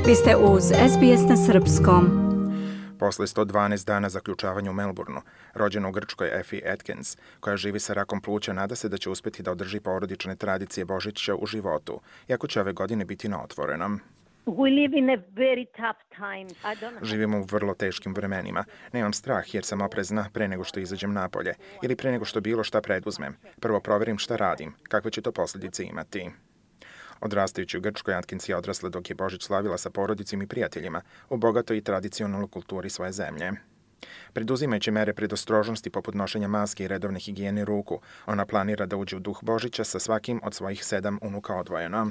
Vi ste uz SBS na srpskom. Posle 112 dana zaključavanja u Melbourneu, rođena u Grčkoj Effie Atkins, koja živi sa rakom pluća, nada se da će uspjeti da održi porodične tradicije Božića u životu, iako će ove godine biti na otvorenom. Živimo u vrlo teškim vremenima. Nemam strah jer sam oprezna pre nego što izađem napolje ili pre nego što bilo šta preduzmem. Prvo proverim šta radim, kakve će to posljedice imati. Odrastajući u Grčkoj, Atkins je odrasla dok je Božić slavila sa porodicom i prijateljima u bogatoj i tradicionalnoj kulturi svoje zemlje. Preduzimajući mere predostrožnosti poput nošenja maske i redovne higijene ruku, ona planira da uđe u duh Božića sa svakim od svojih 7 unuka odvojeno.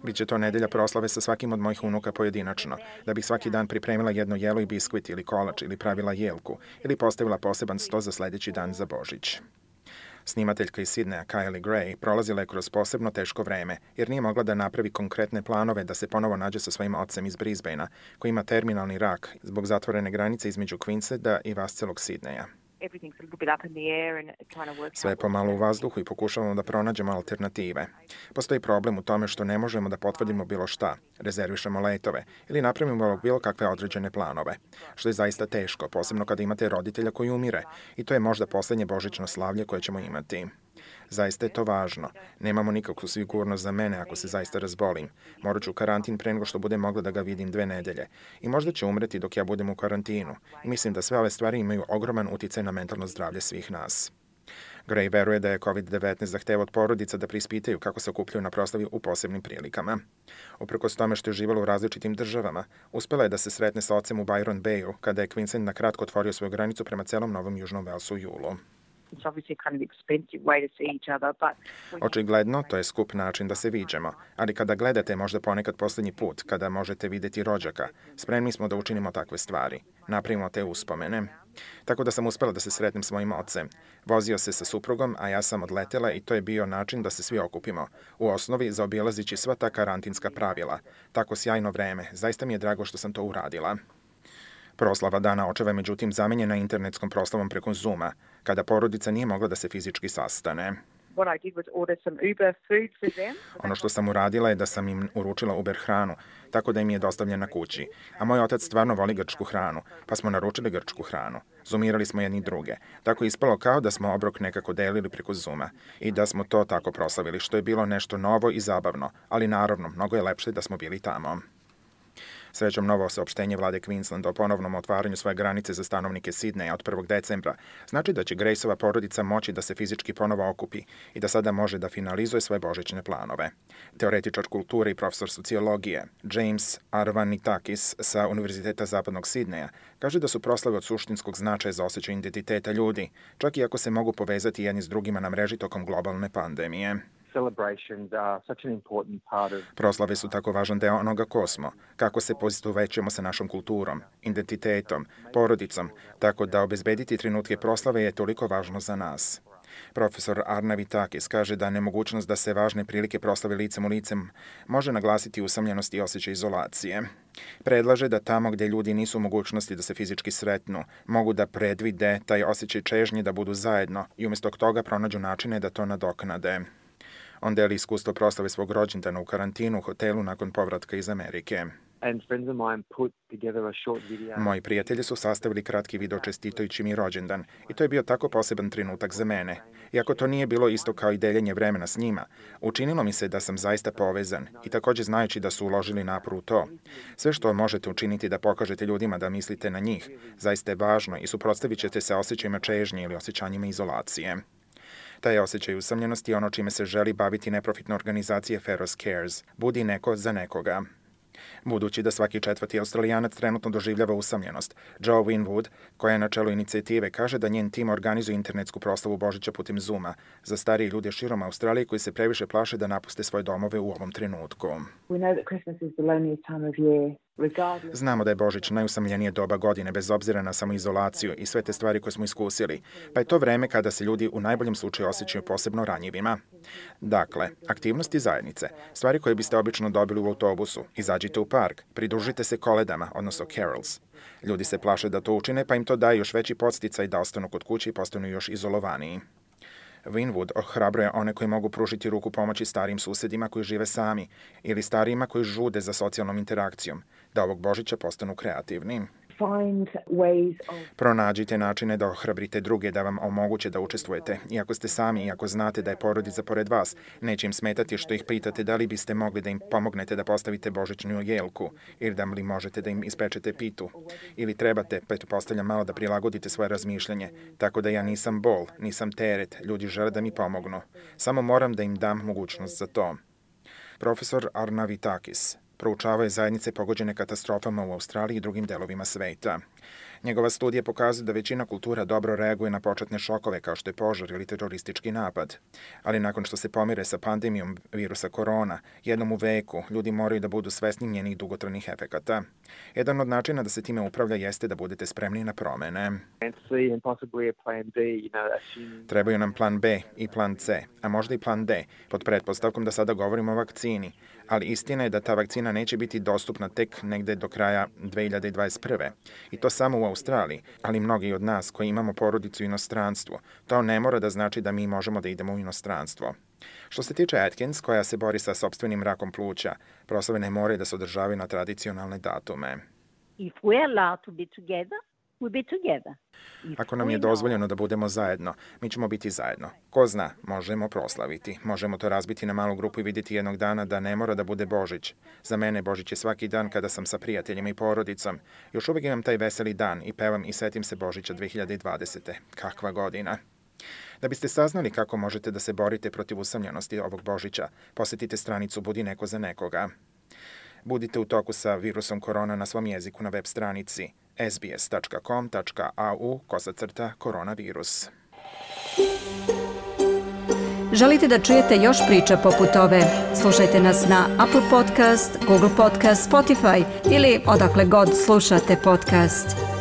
Biće to nedelja proslave sa svakim od mojih unuka pojedinačno, da bih svaki dan pripremila jedno jelo i biskvit ili kolač ili pravila jelku ili postavila poseban sto za sljedeći dan za Božić. Snimateljka iz Sidneja Kylie Gray prolazila je kroz posebno teško vreme, jer nije mogla da napravi konkretne planove da se ponovo nađe sa svojim ocem iz Brisbanea, koji ima terminalni rak zbog zatvorene granice između Queensland i vascelog Sidneja. Sve je pomalo u vazduhu i pokušavamo da pronađemo alternative. Postoji problem u tome što ne možemo da potvrdimo bilo šta, rezervišemo letove ili napravimo bilo kakve određene planove, što je zaista teško, posebno kada imate roditelja koji umire i to je možda posljednje božićno slavlje koje ćemo imati. Zaista je to važno. Nemamo nikakvu sigurnost za mene ako se zaista razbolim. Morat ću u karantin pre nego što budem mogla da ga vidim 2 nedelje. I možda će umreti dok ja budem u karantinu. I mislim da sve ove stvari imaju ogroman uticaj na mentalno zdravlje svih nas. Gray veruje da je COVID-19 zahteva od porodica da prispitaju kako se okupljaju na proslavi u posebnim prilikama. Uprkos tome što je živala u različitim državama, uspela je da se sretne sa ocem u Byron Bayu kada je Queensland na kratko otvorio svoju granicu prema celom Novom Južnom Velsu u julu. Očigledno, to je skup način da se viđemo, ali kada gledate možda ponekad posljednji put, kada možete vidjeti rođaka, spremni smo da učinimo takve stvari, napravimo te uspomene. Tako da sam uspela da se sretnem s mojim ocem. Vozio se sa suprugom, a ja sam odletela i to je bio način da se svi okupimo. U osnovi, zaobilazići sva ta karantinska pravila. Tako sjajno vreme, zaista mi je drago što sam to uradila. Proslava Dana očeva je međutim zamenjena internetskom proslavom preko Zooma, kada porodica nije mogla da se fizički sastane. Ono što sam uradila je da sam im uručila Uber hranu, tako da im je dostavljena kući. A moj otac stvarno voli grčku hranu, pa smo naručili grčku hranu. Zoomirali smo jedni druge. Tako je ispalo kao da smo obrok nekako delili preko Zooma i da smo to tako proslavili, što je bilo nešto novo i zabavno, ali naravno, mnogo je lepše da smo bili tamo. Srećom, novo saopštenje vlade Queenslanda o ponovnom otvaranju svoje granice za stanovnike Sidneja od 1. decembra znači da će Graceova porodica moći da se fizički ponovo okupi i da sada može da finalizuje svoje božićne planove. Teoretičar kulture i profesor sociologije James Arvanitakis sa Univerziteta Zapadnog Sidneja kaže da su proslave od suštinskog značaja za osjećaj identiteta ljudi, čak i ako se mogu povezati jedni s drugima na mreži tokom globalne pandemije. Proslave su tako važan deo onoga ko smo, kako se poistovećujemo sa našom kulturom, identitetom, porodicom, tako da obezbediti trenutke proslave je toliko važno za nas. Profesor Arnavitakis kaže da nemogućnost da se važne prilike proslave licem u licem može naglasiti usamljenost i osjećaj izolacije. Predlaže da tamo gdje ljudi nisu u mogućnosti da se fizički sretnu, mogu da predvide taj osjećaj čežnje da budu zajedno i umjesto toga pronađu načine da to nadoknade. On deli iskustvo proslave svog rođendana u karantinu u hotelu nakon povratka iz Amerike. Moji prijatelji su sastavili kratki video čestitajući mi rođendan i to je bio tako poseban trenutak za mene. Iako to nije bilo isto kao i deljenje vremena s njima, učinilo mi se da sam zaista povezan i također znajući da su uložili napor u to. Sve što možete učiniti da pokažete ljudima da mislite na njih, zaista je važno i suprotstavit ćete se osjećajima čežnje ili osjećanjima izolacije. Taj osjećaj usamljenosti je ono čime se želi baviti neprofitna organizacija Feros Cares, budi neko za nekoga. Budući da svaki 4. Australijanac trenutno doživljava usamljenost, Joe Winwood, koja je na čelu inicijative, kaže da njen tim organizuje internetsku proslavu Božića putem Zooma za starije ljude širom Australije koji se previše plaše da napuste svoje domove u ovom trenutku. Znamo da je Božić najusamljenije doba godine bez obzira na samoizolaciju i sve te stvari koje smo iskusili, pa je to vreme kada se ljudi u najboljem slučaju osjećaju posebno ranjivima. Dakle, aktivnosti zajednice, stvari koje biste obično dobili u autobusu, izađite u park, pridružite se koledama, odnosno carols. Ljudi se plaše da to učine, pa im to daje još veći podsticaj da ostanu kod kuće i postanu još izolovaniji. Winwood ohrabruje one koji mogu pružiti ruku pomoći starijim susedima koji žive sami ili starijima koji žude za socijalnom interakcijom, da ovog Božića postanu kreativni. Pronađite načine da ohrabrite druge da vam omoguće da učestvujete. Iako ste sami i ako znate da je porodica pored vas, neće im smetati što ih pitate da li biste mogli da im pomognete da postavite božićnu jelku ili da li možete da im ispečete pitu. Ili trebate, pretpostavljam, malo da prilagodite svoje razmišljanje, tako da ja nisam bol, nisam teret, ljudi žele da mi pomognu. Samo moram da im dam mogućnost za to. Profesor Arnavitakis proučavao je zajednice pogođene katastrofama u Australiji i drugim delovima sveta. Njegova studija pokazuje da većina kultura dobro reaguje na početne šokove kao što je požar ili teroristički napad. Ali nakon što se pomire sa pandemijom virusa korona, jednom u veku, ljudi moraju da budu svesni njenih dugotrajnih efekata. Jedan od načina da se time upravlja jeste da budete spremni na promene. Trebaju nam plan B i plan C, a možda i plan D, pod pretpostavkom da sada govorimo o vakcini. Ali istina je da ta vakcina neće biti dostupna tek negde do kraja 2021. I to samo u Australiji, ali mnogi od nas koji imamo porodicu u inostranstvu, to ne mora da znači da mi možemo da idemo u inostranstvo. Što se tiče Atkins, koja se bori sa sopstvenim rakom pluća, proslave ne moraju da se održavaju na tradicionalne datume. Ako nam je dozvoljeno da budemo zajedno, mi ćemo biti zajedno. Ko zna, možemo proslaviti. Možemo to razbiti na malu grupu i vidjeti jednog dana da ne mora da bude Božić. Za mene Božić je svaki dan kada sam sa prijateljima i porodicom. Još uvijek imam taj veseli dan i pevam i setim se Božića 2020. Kakva godina! Da biste saznali kako možete da se borite protiv usamljenosti ovog Božića, posjetite stranicu Budi neko za nekoga. Budite u toku sa virusom korona na svom jeziku na web stranici sbs.com.au/koronavirus. Želite da čujete još priča poput ove? Slušajte nas na Apple Podcast, Google Podcast, Spotify ili odakle god slušate podcast.